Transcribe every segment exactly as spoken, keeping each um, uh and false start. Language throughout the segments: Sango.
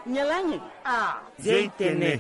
Nyalangi. Ah. Zia itene.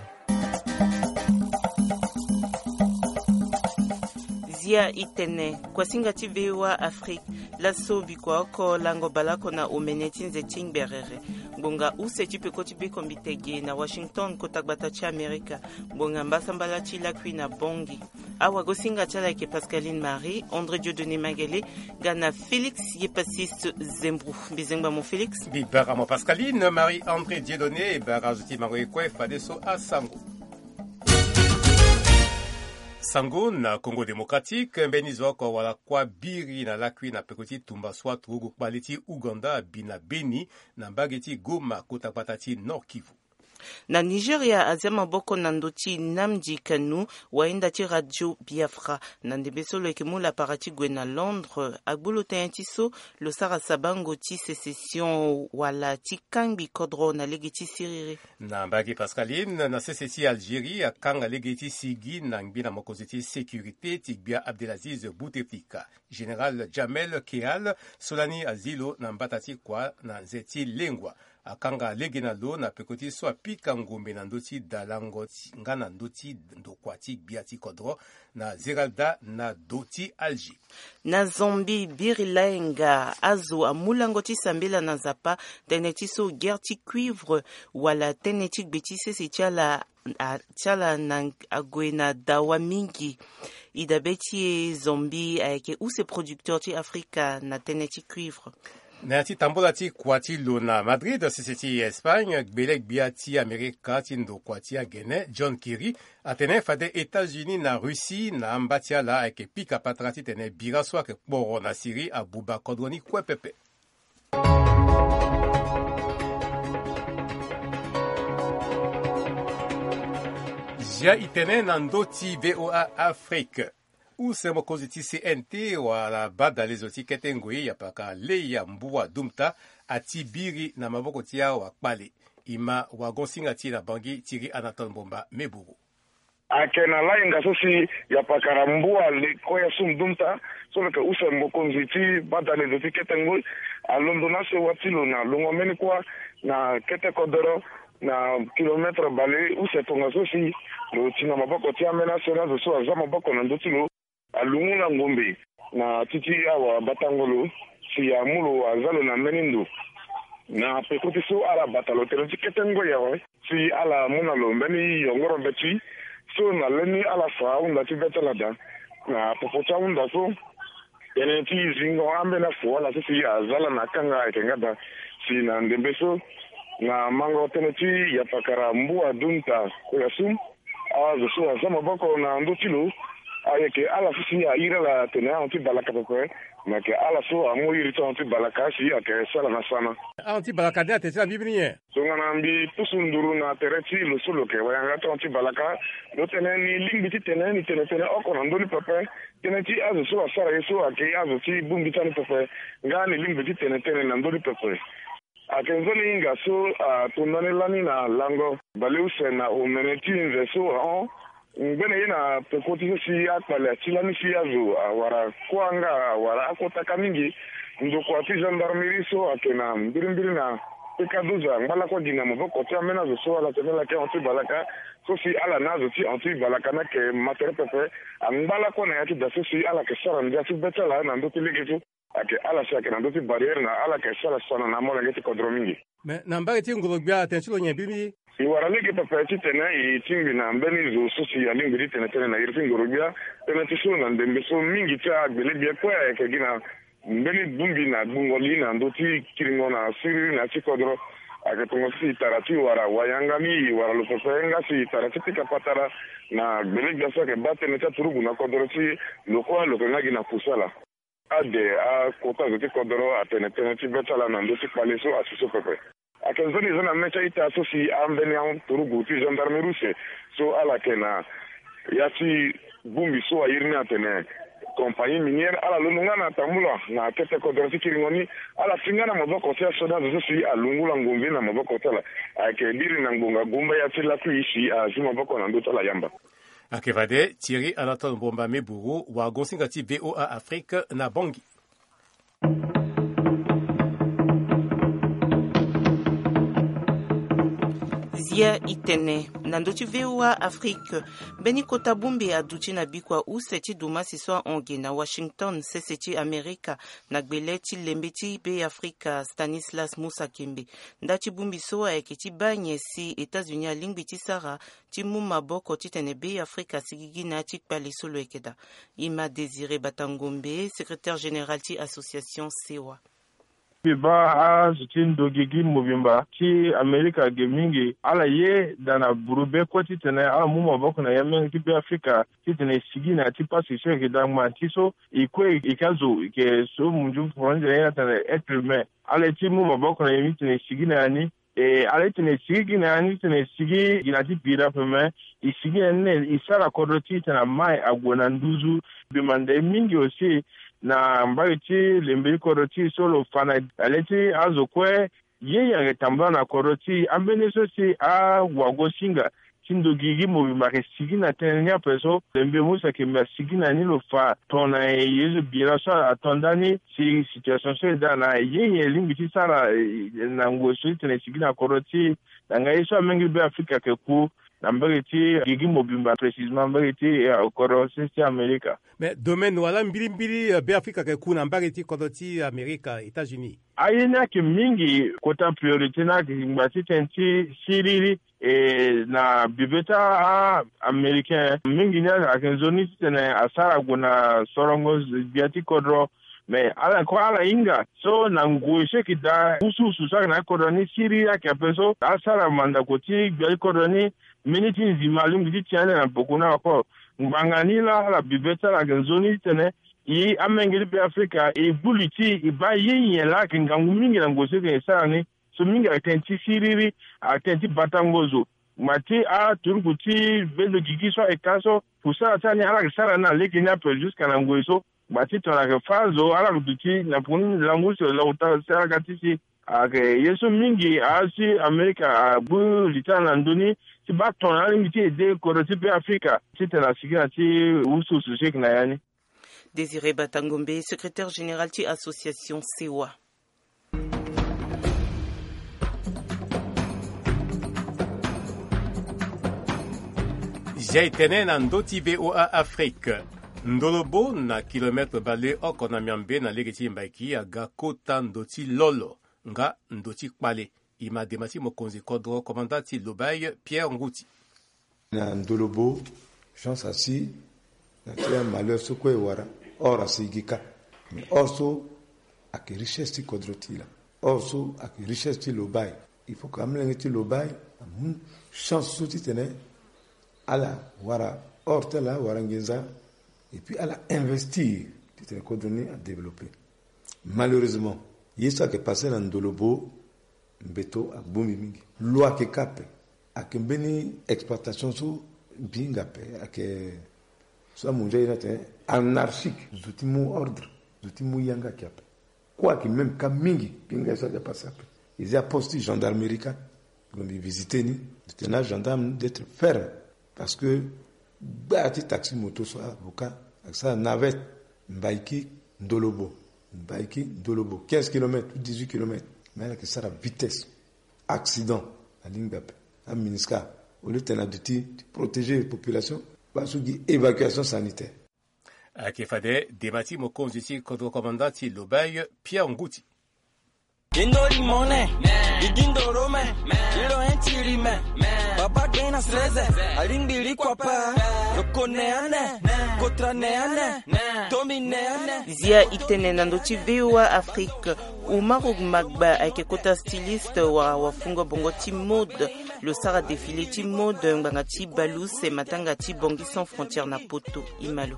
Zia itene. Kuasinga ti VOA Afrique. Laso bikua oko lango baleoko na omene ti nze ti ngberere. Ngbonga use ti peko ti bekombite ge na Washington, kota gbata ti Amerika. Ngbonga mbasambala ti lakui na Bangui. Awagosinga ti ala ayeke Pascaline Marie, André Dieudonné Mangele, ga na Félix Yepasiste Zembro. Mbi zengba mo Félix. Mbi bara mo Pascaline Marie André Dieudonné, bara azo ti mango ye kue fadeso asango. Sango na Congo Démocratique, mbeni zo oko wala kuâ biri na lakui na peko ti tumba so aturugu kpale ti Ouganda abi na Beni, na mbage ti Goma, kota gbata ti Nord-Kivu. Na Nigeria, azia maboko na ndö ti Nnamdi Kanu, wayenda ti Radio Biafra. Na ndembe so lo yeke mu lapara ti gue na Londres, agbu lo tënë ti so lo sara sabango ti sécession wala ti kangbi kodro na lege ti siriri. Na mbage Pascaline, na sese ti Algérie, akanga lege ti sigi na ngbi na mokonzi ti sécurité ti gbia Abdelaziz Bouteflika. Général Jamel Kehal, so lani azi lo na mbata ti kua na nze ti lengua. Akanga lege na lo na peko ti so apika ngombe na ndö ti dalango ti, nga na ndö ti ndokua ti gbia ti kodro na Zeralda na do ti Alger. Na Zambie, biri laenga azo amu lango ti sambela na Nzapa tënë ti so guerre ti cuivre wala tënë ti gbe ti sese ti ala, a, ti ala na ague na dawa mingi. E dabe ti e Zambie ayeke use producteur ti Afrika na tënë ti cuivre. Na ya ti tambola ti kua ti lo na Madrid, sese ti Espagne, gbele-gbia ti Amerika ti ndokua ti agene, John Kerry, atene fade États-Unis na Russie na amba ti ala ayeke pika patara titene bira so ayeke kporo na Syrie abuba kodro ni kue pepe. Zia itene na ndö ti VOA Afrique. Use mokonzi ti C N T wala badalezo ti kete ngoi, yapaka Leya Mbua Dumta, ati biri na maboko ti awakpale. E ma wagosinga ti e na Bangui, Thierry Anatole Mbomba Meburu. Ayeke na lainga so si yapakara Mbua Lekoya Sum Dumta, so lo yeke use mokonzi ti badalezo ti kete ngoi, alondo na asewa ti lo na lungo mbeni kuâ na kete kodoro, na kilometre bale use tongaso si lo ti na maboko ti ambeni asioni azo so aza maboko na ndö ti lo. Alungu na ngombe na ti ti awabatango lo si amu lo aza lo na mbeni ndo. Na peko ti so ala bata lo tënë ti kete ngoi awe si ala mu na lo mbeni yongoro mbeti so na lani ala fa ahunda ti be ti ala daa. Na popo ti ahunda so, tënë ti zingo ambeni afu ala so si aza ala na akanga ayeke nga daa. Si na ndembe so, na mango tënë ti yapakara Mbua Dunta Koyasum, azo so aza maboko na ndö ti lo, ayeke ala so si airi ala atene ahon ti balaka pepe. Me ayeke ala so amu iri ti ahon ti balaka si ayeke sara na sana. Ahon ti balaka ni atene ti ala mbirimbiri nyen? Tongana mbi pusu nduru na tere ti lo so lo yeke wayanga ti ahon ti balaka, lo tene ni lingbi titene ni tene tënë oko na ndö ni pepe. Tënë ti azo so asara ye so ayeke azo ti bongbi ti ani pepe. Nga ni lingbi ti tene tënë na ndö ni pepe. Ayeke nzoni hinga so atonda ni lani na lango baleuse na omene ti nze so ahon. Ngbene ye na peko ti so si akpale ati lani si azo awara kuâ nga awara akota ka mingi. Ndokua ti gendarmerie so ayeke na mbirimbiri na peka doza angba lakue gi na maboko ti ambeni azo so ala tene ala yeke ahon ti balaka. So si ala na azo ti ahon ti balaka ni ayeke ma tere pepe. Angba lakue na ya ti da so si ala yeke sara ndia ti be ti ala na ndö ti lege so. Ayeke ala si ayeke na ndö ti barrière na ala yeke sara sana na amolenge ti kodro mingi. Me na mbage ti ngoro-gbia atene ti lo nyen mbirimbiri? E wara lege pepe titene e tingbi na mbeni zo so si alingbi ti tene tënë na iri ti ngoro-gbia. Tënë ti so na ndembe so mingi ti agbele-gbia kue ayeke gi na mbeni bongbi na gbungo li na ndö ti kiringo na siriri na ya ti kodro. Ayeke tongaso si e tara ti wara wayanga ni e wara lo pepe nga si e tara ti pika patara na gbele-gbia so ayeke baa tënë ti aturugu na kodro ti lo kue lo yeke nga gi na kusala. Ade akota zo ti kodoro atene tënë ti be ti ala na ndö ti kpale so asi so pepe. Ayeke nzoni e za na mê ti a-ita so si ambeni aturugu ti gendarmerie use so ala yeke na ya ti bongbi so airi ni atene compagnie minière, ala londo nga na tambula na kete kodoro ti kiringo ni. Ala ti nga na maboko ti asioni azo so si alungula ngombe na maboko ti ala. Ayeke biri na ngbonga gumba ya ti lakui si azi maboko na ndö ti ala yamba. Ayeke fade Thierry Anatole Mbomba Meburu, wagosinga ti VOA Afrique na Bangui. Tia itene na ndö ti V O A Afrique. Mbeni kota bongbi aduti na bikua use ti dumasi so ahon ge na Washington, sese ti Amerika, na gbele ti lembe ti Be Afrika, Stanislas Musa Kembe. Nda ti bongbi so ayeke ti baa nyen si États-Unis alingbi ti sara ti mu maboko titene Be Afrika asigigi na ya ti kpale so lo yeke daa. Ima Désiré Batangombe, secrétaire général ti association Sewa. Mbi baa azo ti ndo gigi mobimba ti Amerika ge mingi, ala ye daa na buru be kue titene ala mu maboko na ya mingi ti Be Afrika titene e sigi na ya ti pasi so e yeke daa ngba ti so. E kue e yeke azo e yeke so munzu fronde ye na tene être humain. Ala ye ti mu maboko na e titene e sigi na ya ni. E ala titene e sigi gi na ya ni titene e sigi gi na ti bira ape me. E sigi na ni na e sara kodro ti e titene amai ague na nduzu. Mbi manda e mingi aussi na mbage ti lembe ti kodro ti e so lo fa na le ti azo kue ye yanga tambula na kodro ti e. Ambeni so si awagosinga ti ndo gigi mobimba ayeke sigi na tënë ni ape so. Lembe Musa Kembe asigi na ni lo fa tongana ye so bira so ato ndani si situation so e daa na ye nyen e lingbi ti sara, eh, na ngoi so ti tene e sigi na kodro ti e. Na ngai ye so amenge Be Afrika ayeke ku na mbage ti gigi mobimba, précisement mbage ti, eh, kodro sese ti Amerika. Mais domaine wala mbirimbiri, eh, Be Afrika ayeke ku na mbage ti kodro ti Amerika, États-Unis? Aye ni ayeke mingi, kota priorité ni ayeke ngba ti tënë ti siriri. E na bibe ti a-Américain mingi ni ayeke nzoni titene asara gue na sorongo gbia ti kodro. Mais ala kue ala hinga so na ngoi so e yeke daa usuusu so ayeke na kodro ni siriri ayeke ape so asara mandako ti gbia ti kodro ni. Mbeni ti nzima alingbi ti ti ande na poko ni encore. Ngbanga ni laa ala bibe ti ala ayeke nzoni titene e amenge ti Be Afrika e gbu li ti e baa ye nyen laa ayeke ngangu mingi na ngoi so e yeke sara ni. So mingi ayeke tënë ti siriri, ayeke tënë ti batango zo. Ngba ti aturuku ti bendo gigi so ayeke ka so, kusala ti ala ni ala yeke sara ni na lege ni ape jusqu'à na ngoi so. Ngba ti tongana ayeke fâ zo, ala yeke duti na poko ni langu si lo lakue taa si ala ga ti si. Ayeke ye so mingi asi Amerika agbu li ti ala na ndö ni ti baa tongana alingbi ti aidé kodro ti Be Afrika titene asigi na ti usuusu so e yeke na ya ni. Désiré Batangombe, secrétaire général ti association Sewa. Zia e tene na ndö ti V O A Afrique. Ndolobo na kilomètre baleoko na miambe na lege ti Mbaiki aga kota ndo ti lolo nga ndo ti kpale. E ma dema ti mokonzi kodro, commandant ti Lobaye, Pierre Nguti. Na Ndolobo, chance asi na ti amalheur so kue e wara, or asi e gi kâ. Mais or so ayeke richesse ti kodro ti e laa. Or so ayeke richesse ti Lobaye. Il faut que amolenge ti Lobaye amu chance so titene ala wara or ti ala, wara nginza, et puis ala investir titene kodro ni adéveloppé. Malheureusement, ye so ayeke passé na Ndolobo, mbeto agbu mbi mingi. Lo ayeke kâ ape. Ayeke mbeni exploitation so mbi hinga ape, ayeke so amu ndia ye ni atene anarchique. Zo ti mu ordre, zo ti mu yanga ayeke ape. Kue ayeke même kâ mingi, mbi hinga ye so ayeke passé ape. E zi aposte ti gendarmerie kâ. Donc mbi visité ni, mbi tene na agendarme d'être ferme. Parce que gbaa ti taxi moto so avocat ayeke sara navette Mbaiki Ndolobo, Mbaiki Ndolobo, quinze kilomètres ou dix-huit kilomètres. Mais ala yeke sara vitesse. Accident alingbi ape. AMINUSCA, au lieu tene aduti ti protéger population, baa so gi évacuation sanitaire. Ayeke fade dema ti mokonzi ti kodro, commandant ti Lobaye, Pierre Nguti. Indo limone, igindo rome, ilo enti rime, baba gbe na sreze, alingbi li kua pa, yoko ne ane, kotra ne ane, tomi ne ane. Zia e tene na ndö ti V O A Afrique. Umaru Magba ayeke kota styliste wala wafungo bongo ti mode. Lo sara défilé ti mode ngbanga ti bale use matanga ti Bangui Sans Frontières na Poto. E ma lo.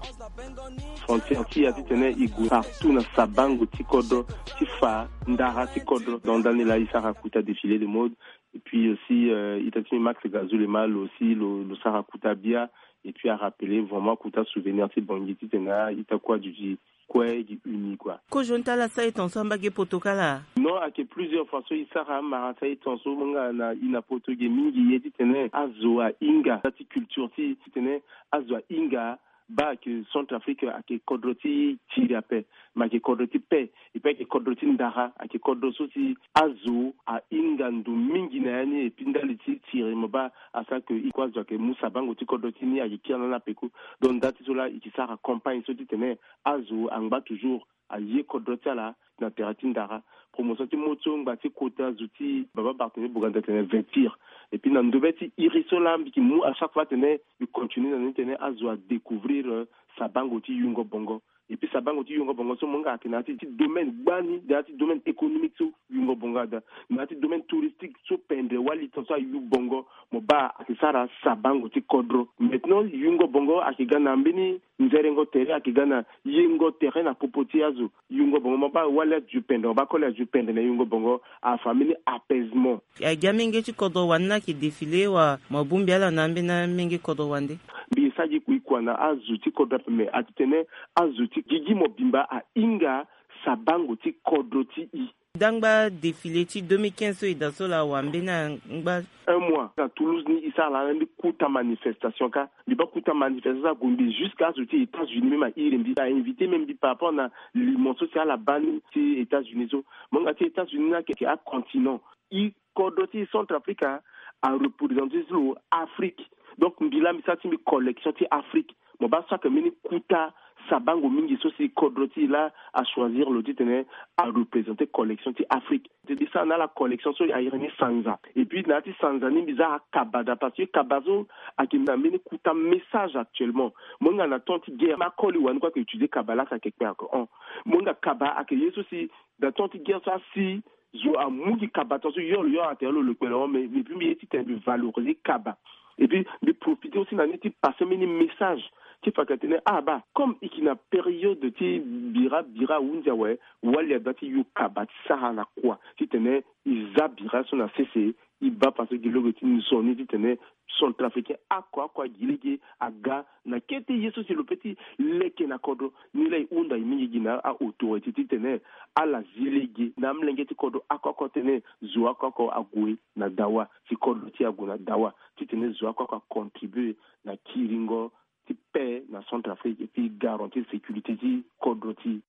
Frontière ti e ya titene e gue partout na sabango ti kodro, ti fa ndara ti kodro. Donc ndani laa e sara kota défilé de mode. Et puis aussi, euh, ita ti mbi Max Gazou le mal aussi, lo, lo sara kota bia. Et puis a rappeler vraiment kota souvenir ti Bangui titene a-ita kue aduti kue gi uni kua. Kozoni ti ala sara e tongaso ambage poto kâ laa? Non, ayeke plusieurs fois so e sara amara ti sara e tongaso, mo nga na e na poto ge mingi ye titene azo ahinga ti culture ti e, titene azo ahinga Baa ayeke Centrafrique, ayeke kodro ti tiri ape, me ayeke kodro ti paix, epui ayeke kodro ti ndara, ayeke kodro so si azo ahinga ndo mingi na ya ni, epui ndali ti tiri mo baa asara ke e kue azo ayeke mu sabango ti kodro ti ni ayeke kiri na ni ape ku. Donc nda ti so laa e yeke sara campagne so titene azo angba toujours aye kodro ti ala na tere ti ndara. Promotion ti mo so ngba ti kota zo ti baba Barthélemy Boganda tene vêtir. Epui na ndobe ti iri so laa mbi yeke mu à chaque fois tene mbi continue na ni tene azo adécouvrir, euh, sabango ti yungo bongo. Epui sabango ti yungo bongo so mo nga ayeke na ya ti, ti domaine gbani, na ya ti domaine économique so yungo bongo ada, na ya ti domaine touristique so pendre wali ton so ayu bongo. Mo baa ayeke sara sabango ti kodro. Maintenant yungo bongo ayeke ga na mbeni nzerengo tere, ayeke ga na yengo tere na popo ti azo. Yungo bongo mo baa wali azo pendre, mo baa koli azo pendre na yungo bongo, afa mbeni apaisement. Agi amenge ti kodro wande ni ayeke défilé wa mo bongbi ala na ambeni amenge kodro wande? Mbi sa gi kui kua na azo ti kodro ape, me ati tene azo ti gigi mobimba ahinga sabango ti kodro ti e. Dangba défilé ti deux mille quinze so e daa so laa wa mbeni angba. Un mois na Toulouse ni e sara laa mbi kuta manifestation ka. Mbi baa kuta manifestation so ague mbi jusqu'à azo ti États-Unis même a iri mbi, a invité même mbi par rapport na limon so si ala baa ni ti États-Unis so. Mo nga ti États-Unis ni ayeke acontinent. E kodro ti Centrafrique a, areprésente ti lo Afrique. Donc mbi laa mbi sara ti mbi collection ti Afrique. Mo baa so ayeke mbeni kuta sabango mingi so si kodro ti e laa achoisir lo titene areprésente collection ti Afrique. Mbi sara na ala collection so airi ni sanza. Epui na ya ti sanza ni mbi za akaba daa parce que kaba so ayeke na mbeni kuta message actuellement. Mo hinga na temps ti guerre, akoli wani kue ayeke utiliser kaba laa si ayeke kpe ayeke hon. Mo hinga kaba ayeke ye so si na temps ti guerre so asi zo amu gi kaba tongaso yo lo yo atere lo lo kpe lo hon, mais epui mbi ye titene mbi valoriser kaba. Epui mbi profiter aussi na ni ti passer mbeni message ti fa ka tene ah baa comme e yeke na période ti bira bira ahunzi awe, wali adoit ti yo kaba ti sara na kua titene e za bira so na sese. E baa parce que gi lege ti nzoni titene Centrafricain oko oko agi lege aga na kete ye so si lo peut ti leke na kodro. Ni laa e hunda e mingi gi na aautorité titene ala zi lege na amolenge ti kodro oko oko titene zo oko oko ague na dawa, si kodro ti e ague na dawa, titene zo oko oko acontribue na kiringo ti paix na Centrafrique epui garantir sécurité ti kodro ti e.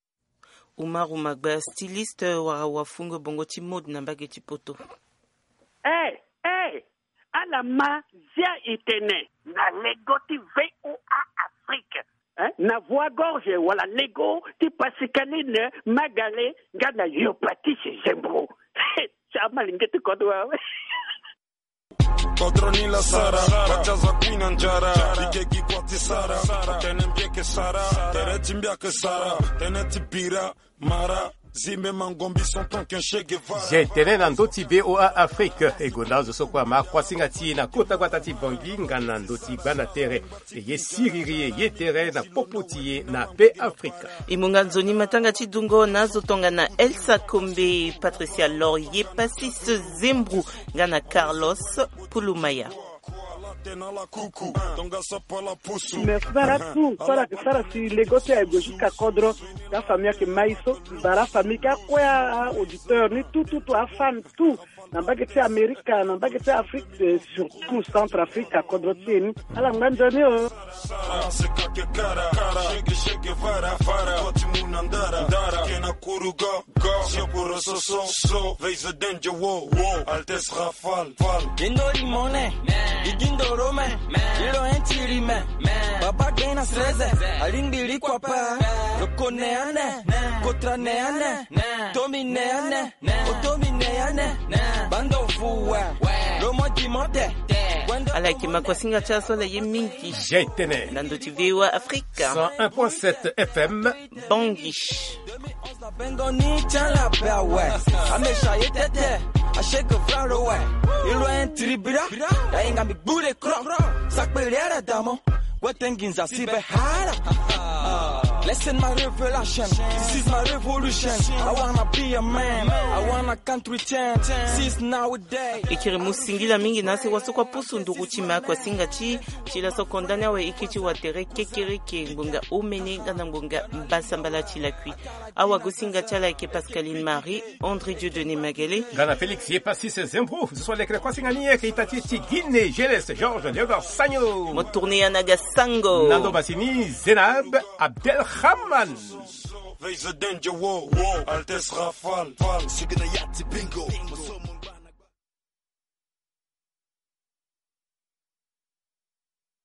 Umaru Magba, styliste, wara wafungo bongo ti mode na mbage ti poto. Eh, eh, ala ma zia e tene na lego ti V O A Afrique, eh, na Voix Gorge wala lego ti Pascaline Magale nga na yo Patrice Zembro. Ti amalenge ti kodro awe. Kodro ni la sara, batia za kui na njara, ike gi kua ti sara, atene mbi eke sara, tere ti mbi ake sara, tene ti bira, mara, zimbe mangombi son ton ken Che Guevara. Zia e tene na ndö ti V O A Afrique, e gonda azo so kue ama kuasinga ti e na kota gbata ti Bangui nga na ndö ti gbanda tere. E ye siriri e ye tere na popo ti e na Be Afrika. E mu nga nzoni matanga ti dungo na azo tongana Elsa Kombe, Patricia Laurier, Passis Zembru nga na Carlos Pulumaya. Merci bara tout so ala yeke sara si lego ti e aye gue jusqu'à kodro. Nga famille ayeke ma e so, bara famille ti akue, a auditeur ni tout tout tout, afan tout. Na mbage ti Amerika, na mbage ti Afrique, eh, surtout Centrafrique, akodro ti e ni. Ala ngba nzoni o. Altesse Rafale, Fal. Gindo limone, igindo rome, ilo entiri me. Baba gbe na sreze, alingbi likua pa. Loko ne ane, kotra ne ane, tomi ne ane. Otomine ya ne, bando fuwe. Lomo dimote. Ala yeke ma kuasinga ti aso ala ye mingi. Zia e tene. Na ndö ti V O A Afrique. Cent un point sept F M. Bangui. Bengo ni ti ala be awe. Amesha ye tete. Asheke vra lo we. Ilo en tribira. Dainga mi bure kro. Sakpele ala damo. Wete nginza si be hala. Listen my revelation, this is my revolution. I wanna be a man, I wanna country champ. Since nowadays. E kiri mu singila mingi na se wasoko apusu nduru ti ma kua singa ti ti laso kondani awe e kiri ti watere kekereke ngbonga omene nga na ngbonga mbasambala ti lakui. Awagosinga ti ala ayeke Pascaline Marie, André Dieudonné Magalé. Nga na Félix Yepassis Zembro, zo so alekere kuasinga ni ayeke ita ti e ti Guinée, G L S Georges Léonard Sagno. Mo tourné ya na ga sango. Na ndo basi ni Zénab Abdelrahman. Veille the danger war, war, Altesse Rafale, Fale. Sigi na ya ti bingo.